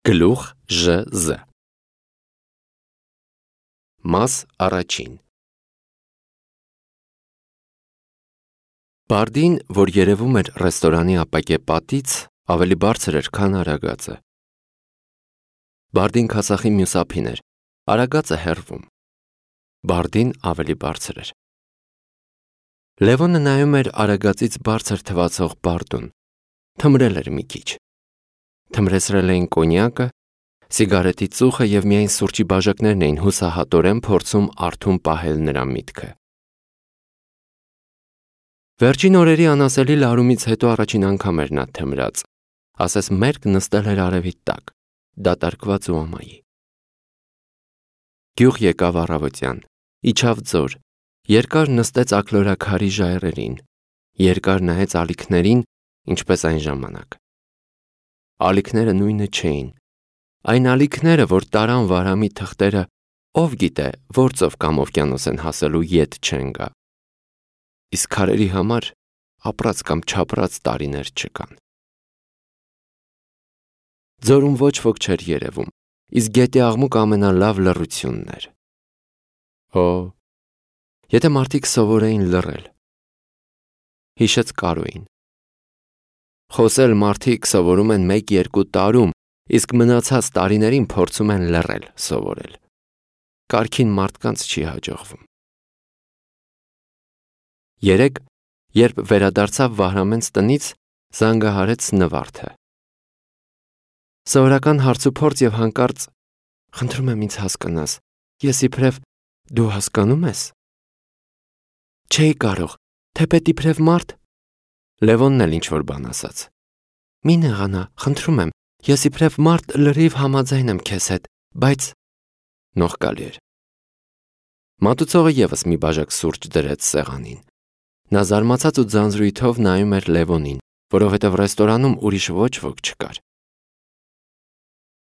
Գլուխ ԺԶ Մաս առաջին Բարդին, որ երևում էր ռեստորանի ապակե պատից, ավելի բարձր էր, քան Արագածը։ Բարդին քասախի մյուս ափին էր, Արագածը հեռվում։ Բարդին ավելի բարձր էր։ Լևոնը նայում էր Արագածից բարձր թվացող Բարդուն, թմրել էր մի քիչ։ Թմրեցրել էին կոնյակը, սիգարետի ծուխը և միայն սուրճի բաժակներն էին հուսահատորեն փորձում արթուն պահել նրա միտքը։ Վերջին օրերի անասելի լարումից հետո առաջին անգամ էր նա թմրած, ասես մերկ նստել էր արևի տակ, դատարկված ու ամայի։ Գյուղ եկավ առավոտյան, իջավ ձոր, երկար նստեց աքլորաքարի ժայռերին, երկար նայեց ալիքներին, ինչպես այն ժամանակ։ Ալիքները նույնը չէին, այն ալիքները, որ տարան Վարամի թղթերը, ով գիտե, ործով կամ օվկիանոս են հասելու ետ չեն գա։ Իսկ քարերի համար ապրած կամ չապրած տարիներ չկան։ Ձորում ոչ ոք չէր երևում, իսկ գետի աղմուկ ամենալավ լռությունն էր։ Եթե մարդիկ սովորեին լռել։ Հիշեց Կարոյին։ Խոսել մարդիկ սովորում են 1-2 տարում, իսկ մնացած տարիներին փորձում են լռել, սովորել։ Կարգին մարդկանց չի հաջողվում։ Երեկ, երբ վերադարձավ Վահրամենց տնից, զանգահարեց Նվարդը։ Սովորական հարցուփորձ և հանկարծ խնդրում եմ ինձ հասկանաս, ես իբրև դու հասկանում ես։ Չէի կարող, թեպետ իբրև մարդ։ Լևոնն էլ ինչ-որ բան ասաց։ Մի նեղանա, խնդրում եմ, ես իբրև մարդ լրիվ համաձայն եմ քեզ հետ, բայց նողկալի էր։ Մատուցողը ևս մի բաժակ սուրճ դրեց սեղանին։ Նա զարմացած ու ձանձրույթով նայում էր Լևոնին, որովհետև ռեստորանում ուրիշ ոչ ոք չկար։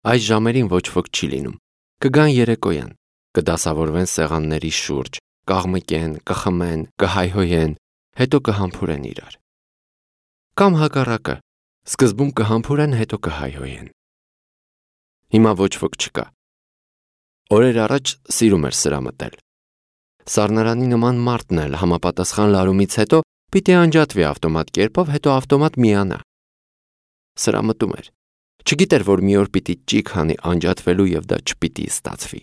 Այս ժամերին ոչ ոք չի լինում։ Կգան երեկոյան, կդասավորվեն սեղանների շուրջ, կաղմկեն, կխմեն, կհայհոյեն, հետո կհամբուրեն իրար։ Կամ հակառակը, սկզբում կհամբուրեն, հետո կհայհոյեն։ Հիմա ոչ ոք չկա։ Օրեր առաջ սիրում էր սրամտել։ Սառնարանի նման մարդն էլ համապատասխան լարումից հետո պիտի անջատվի ավտոմատ կերպով, հետո ավտոմատ միանա։ Սրամտում էր։ Չգիտեր, որ մի օր պիտի ճիգ հանի անջատվելու և դա չպիտի ստացվի։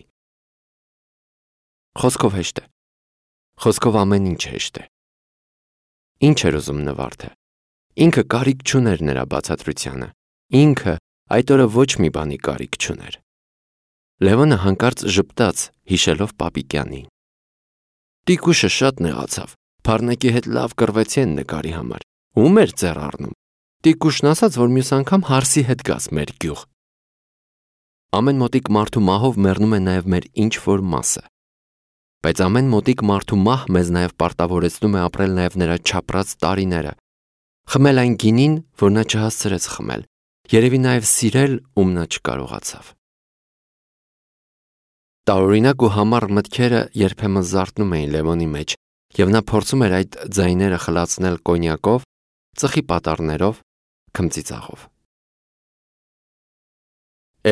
Խոսքով հեշտ է։ Խոսքով ամեն ինչ հեշտ է։ Ինչ էր ուզում Նվարդը։ Ինքը կարիք չուներ նրա բացատրությանը։ Ինքը այդ օրը ոչ մի բանի կարիք չուներ։ Լևոնը հանկարծ ժպտաց, հիշելով Պապիկյանին։ Տիկուշը շատ նեղացավ, փառնեկի հետ լավ կռվեցի են նկարի համար։ Ում էր ձեռ առնում։ Տիկուշն ասաց, որ մյուս անգամ հարսի հետ գաս մեր գյուղ։ Ամեն մոտիկ մարդու մահով մեռնում է նաև մեր ինչ-որ մասը։ Բայց ամեն մոտիկ մարդու մահ մեզ նաև պարտավորեցնում է ապրել նաև նրա չապրած տարիները, խմել այն գինին, որ նա չհասցրեց խմել, երևի նաև սիրել, ում նա չկարողացավ։ Տարօրինակ ու համառ մտքերը երբեմն զարթնում էին Լևոնի մեջ, և նա փորձում էր այդ ձայները խլացնել կոնյակով, ծխի պատառներով, քմծիծաղով։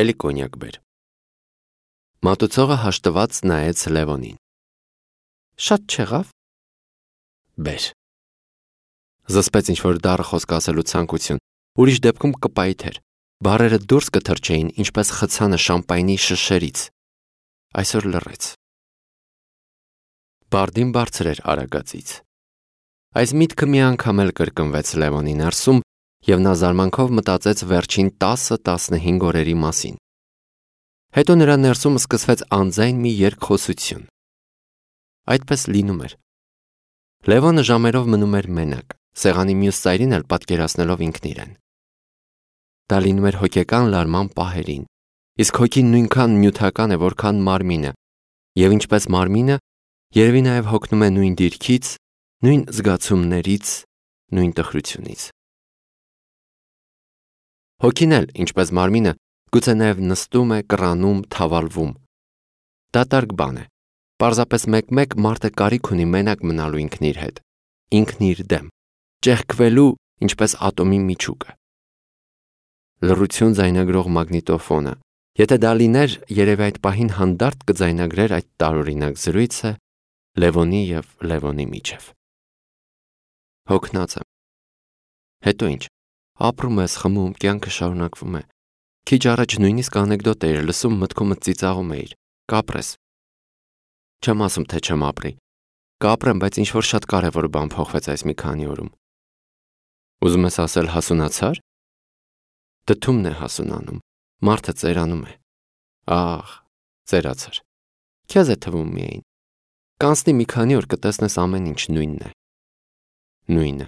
Էլի կոնյակ բեր։ Մատուցողը հաշտված նայեց Լևոնին։ Շատ չեղավ։ Բեր։ Զսպեց ինչ-որ դառը խոսք ասելու ցանկություն, ուրիշ դեպքում կպայթեր, բառերը դուրս կթռչեին, ինչպես խցանը շամպայնի շշերից։ Այսօր լռեց։ Բարդին բարձր էր Արագածից։ Այս միտքը մի անգամ էլ կրկնվեց Լևոնի ներսում, և նա զարմանքով մտածեց վերջին 10-15 օրերի մասին։ Հետո նրա ներսում սկսվեց անձայն մի երկխոսություն։ Այդպես լինում էր։ Լևոնը ժամերով մնում էր մենակ, սեղանի մյուս ծայրին էլ պատկերացնելով ինքն իրեն։ Դա լինում էր հոգեկան լարման պահերին, իսկ հոգին նույնքան նյութական է, որքան մարմինը, և ինչպես մարմինը, երևի նաև հոգնում է նույն դիրքից, նույն զգացումներից, նույն տխրությունից։ Հոգին էլ, ինչպես մարմինը, գուցե նաև նստում է, կռանում, թավալվում։ Դատարկ բան է։ Պարզապես մեկ-մեկ մարդը կարիք ունի մենակ մնալու ինքն իր հետ, ինքն իր դեմ, ճեղքվելու, ինչպես ատոմի միջուկը։ Լռություն ձայնագրող մագնիտոֆոնը։ Եթե դա լիներ, երևի այդ պահին հանդարտ կձայնագրեր այդ տարօրինակ զրույցը Լևոնի և Լևոնի միջև։ Հոգնած եմ։ Հետո ինչ։ Ապրում ես, խմում, կյանքը շարունակվում է։ Քիչ առաջ նույնիսկ անեկդոտ էիր լսում, մտքումդ ծիծաղում էիր։ Կապրես։ Չեմ ասում, թե չեմ ապրի։ Կապրեմ, բայց ինչ-որ շատ կարևոր բան փոխվեց այս մի քանի օրում։ Ուզում ես ասել հասունացար։ Դդումն է հասունանում, մարդը ծերանում է։ Ահ, ծերացար։ Քեզ է թվում միայն։ Կանցնի մի քանի օր կտեսնես ամեն ինչ նույնն է։ Նույնը։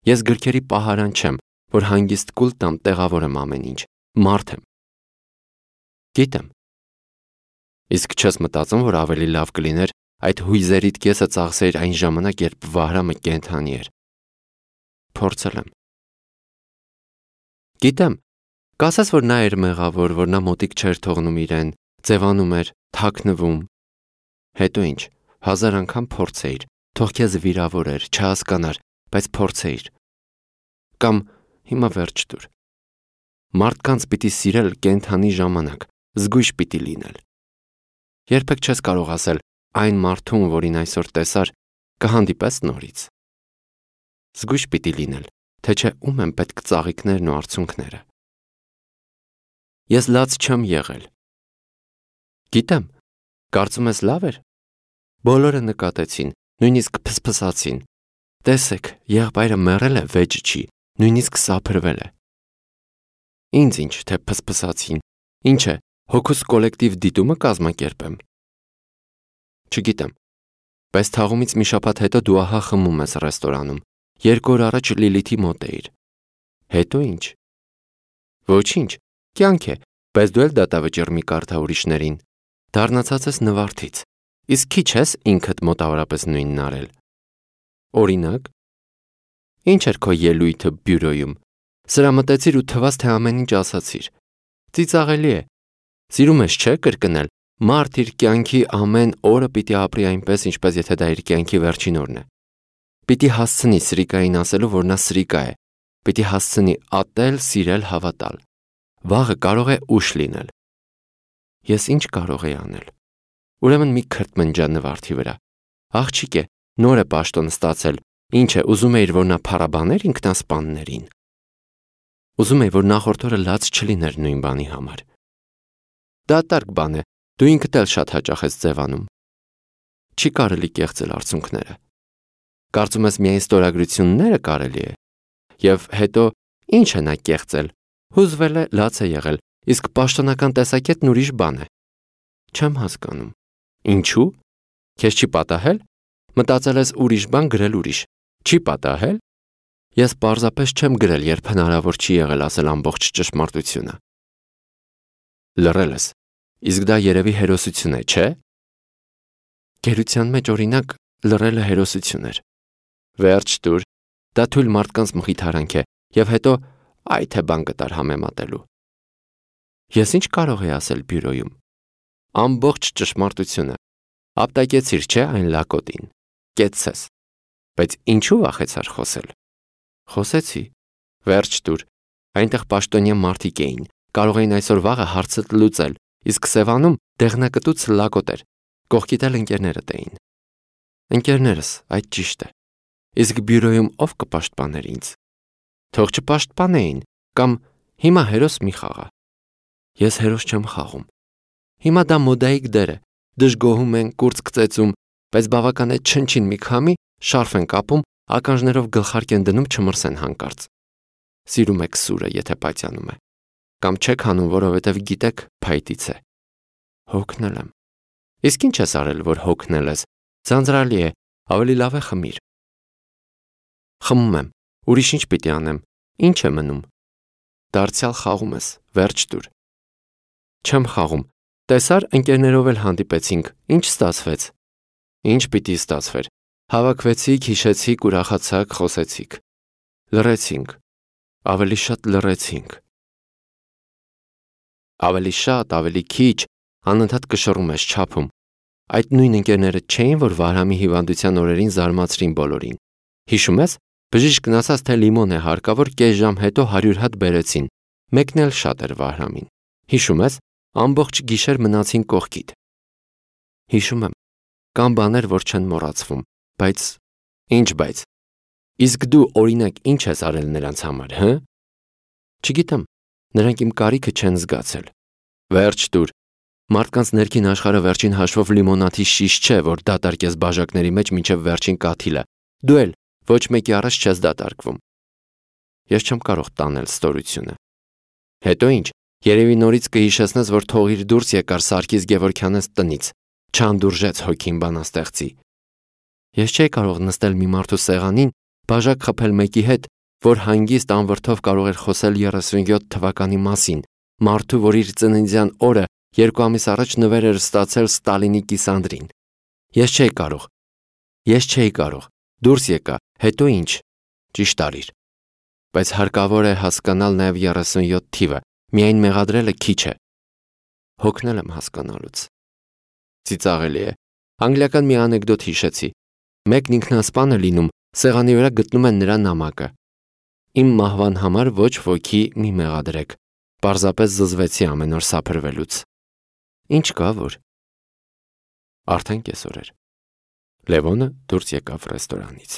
Ես գրքերի պահարան չեմ, որ հանգիստ կուլ տամ, տեղավորեմ ամեն ինչ, մարդ եմ։ Գիտեմ։ Իսկ չես մտածում, որ ավելի լավ կլիներ այդ հույզերիդ կեսը ծախսեիր այն ժամանակ, երբ Վահրամը կենդանի էր։ Փորձել եմ։ Գիտեմ, կասես, որ նա էր մեղավոր, որ նա մոտիկ չէր թողնում իրեն, ձևանում էր, թաքնվում։ Հետո ինչ, 1000 անգամ փորձեիր, թող քեզ վիրավորեր, չհասկանար, բայց փորձեիր։ Կամ հիմա վերջ տուր։ Մարդկանց պիտի սիրել կենդանի ժամանակ, զգույշ պիտի լինել։ Երբեք չես կարող ասել այն մարդուն, որին այսօր տեսար, կհանդիպես նորից։ Զգույշ պիտի լինել, թե չէ ում են պետք ծաղիկներն ու արցունքները։ Ես լաց չեմ եղել։ Գիտեմ, կարծում ես լավ էր։ Բոլորը նկատեցին, նույնիսկ փսփսացին։ Տեսեք, եղբայրը մեռել է, վեճ չի, նույնիսկ սափրվել է։ Ինձ ինչ, թե փսփսացին, ինչ է, հոգուս կոլեկտիվ դիտումը կազմակերպեմ։ Չգիտեմ, բայց թաղումից մի շաբաթ հետո դու ահա խմում ես ռեստորանում, 2 օր առաջ Լիլիթի մոտ էիր։ Հետո ինչ։ Ոչինչ, կյանք է, բայց դու էլ դատավճիռ մի կարդա ուրիշներին։ Դառնացած ես նվարդից, իսկ քիչ ես ինքդ մոտավորապես նույնն արել։ Օրինակ, ինչ էր քո ելույթը բյուրոյում։ Սրա մտեցիր ու թվաց, թե ամեն ինչ ասացիր։ Ծիծաղելի է։ Սիրում ես, չէ՞, կրկնել։ Մարդ իր կյանքի ամեն օրը պիտի ապրի այնպես, ինչպես եթե դա իր կյանքի վերջին օրն է։ Պիտի հասցնի սրիկային ասելու, որ նա սրիկա է։ Պիտի հասցնի ատել, սիրել, հավատալ։ Վաղը կարող է ուշ լինել։ Ես ինչ կարող էի անել։ Ուրեմն մի քրտմնջա նվարդի վրա։ Աղջիկ է, նոր է պաշտոն ստացել։ Ինչ է, ուզում էիր, որ նա փառաբաներ ինքնասպաններին։ Ուզում էի, որ նախորդ օրը լաց չլիներ նույն բանի համար։ Դատարկ բան է, դու ինքդ էլ շատ հաճախ ես ձևանում։ Չի կարելի կեղծել արցունքները։ Կարծում ես միայն ստորագրությունները կարելի է։ Եվ հետո ինչ է նա կեղծել։ Հուզվել է, լաց է եղել, իսկ պաշտոնական տեսակետն ուրիշ բան է։ Չեմ հասկանում։ Ինչու՞։ Քեզ չի պատահել։ Մտածել ես ուրիշ բան գրել ուրիշ։ Չի պատահել։ Ես պարզապես չեմ գրել, երբ հնարավոր չի եղել ասել ամբողջ ճշմարտությունը։ Լռել ես։ Իսկ դա երևի հերոսություն է, չէ՞։ Գերության մեջ օրինակ լռելը հերոսություն էր։ Վերջ տուր, դա թույլ մարդկանց մխիթարանք է, եւ հետո այ թե բան կտար համեմատելու։ Ես ինչ կարող եի ասել բյուրոյում։ Ամբողջ ճշմարտությունը։ Ապտակեցիր, չէ՞ այն լակոտին։ Կեցցես։ Բայց ինչու վախեցար խոսել։ Խոսեցի։ Վերջ տուր։ Այնտեղ պաշտոնյա մարդիկ էին, կարող էին այսօր վաղը հարցդ լուծել, իսկ Սևանում դեղնակտուց լակոտ էր։ Կողքիդ էլ ընկերներդ էին։ Ընկերներս, այդ ճիշտ է։ Իսկ բյուրոյում ով կպաշտպաներ ինձ։ Թող չպաշտպանեին, կամ հիմա հերոս մի խաղա։ Ես հերոս չեմ խաղում։ Հիմա դա մոդայիկ դեր է։ Դժգոհում են, կուրծք ծեծում, բայց բավական է չնչին մի քամի, շարֆ են կապում, ականջներով գլխարկ են դնում չմրսեն հանկարծ։ Սիրում եք սուրը, եթե պայծյանում է։ Կամ չեք հանում, որովհետև գիտեք փայտից է։ Հոգնել եմ։ Իսկ ինչ ես արել, որ հոգնել ես։ Ձանձրալի է, ավելի լավ է խմիր։ Խմում եմ, ուրիշ ինչ պիտի անեմ, ինչ է մնում։ Դարձյալ խաղում ես, վերջ տուր։ Չեմ խաղում, տեսար ընկերներով էլ հանդիպեցինք, ինչ ստացվեց։ Ինչ պիտի ստացվեր։ Հավաքվեցիք, հիշեցիք, ուրախացաք, խոսեցիք։ Լռեցինք, ավելի շատ լռեցինք։ Ավելի շատ, ավելի քիչ, անընդհատ կշռում ես չափում։ Այդ նույն ընկերները չէին, որ Վահրամի հիվանդության օրերին զարմացրին բոլորին։ Հիշում ես, բժիշկն ասաց, թե լիմոն է հարկավոր, կես ժամ հետո 100 հատ բերեցին, Մեկն էլ շատ էր Վահրամին։ Հիշում ես, ամբողջ գիշեր մնացին կողքիդ։ Հիշում եմ, կան բաներ, որ չեն մոռացվում, բայց… Ինչ բայց։ Իսկ դու օրինակ ինչ ես արել նրանց համար, հը? Չգիտեմ, նրանք իմ կարիքը չեն զգացել։ Վերջ տուր։ Մարդկանց ներքին աշխարհը վերջին հաշվով լիմոնադի շիշ չէ, որ դատարկես բաժակների մեջ մինչև վերջին կաթիլը։ Դու էլ ոչ մեկի առաջ չես դատարկվում։ Ես չեմ կարող տանել ստորությունը։ Հետո ինչ, երևի նորից կհիշեցնես, որ թողիր դուրս եկար Սարգիս Գևորգյանենց տնից, չանդուրժեց հոգին բանաստեղծի։ Ես չէի կարող նստել մի մարդու սեղանին, բաժակ խփել մեկի հետ, որ հանգիստ անվրդով կարող էր խոսել 37 թվականի մասին, մարդու, որ իր ծննդյան օրը 2 ամիս առաջ նվեր էր ստացել Ստալինի կիսանդրին։ Ես չէի կարող։ Դուրս եկա, հետո ինչ։ Ճիշտ արիր։ Բայց հարկավոր է հասկանալ նաև 37 թիվը, միայն մեղադրելը քիչ է։ Հոգնել եմ հասկանալուց։ Ծիծաղելի է։ Անգլիական մի անեկդոտ հիշեցի։ Մեկն ինքնասպան է լինում, սեղանի վրա գտնում են նրա նամակը։ Իմ մահվան համար ոչ ոքի մի մեղադրեք։ Պարզապես զզվեցի ամեն օր սափրվելուց։ Ինչ կա որ։ Արդեն կեսօր էր։ Լևոնը դուրս եկավ ռեստորանից։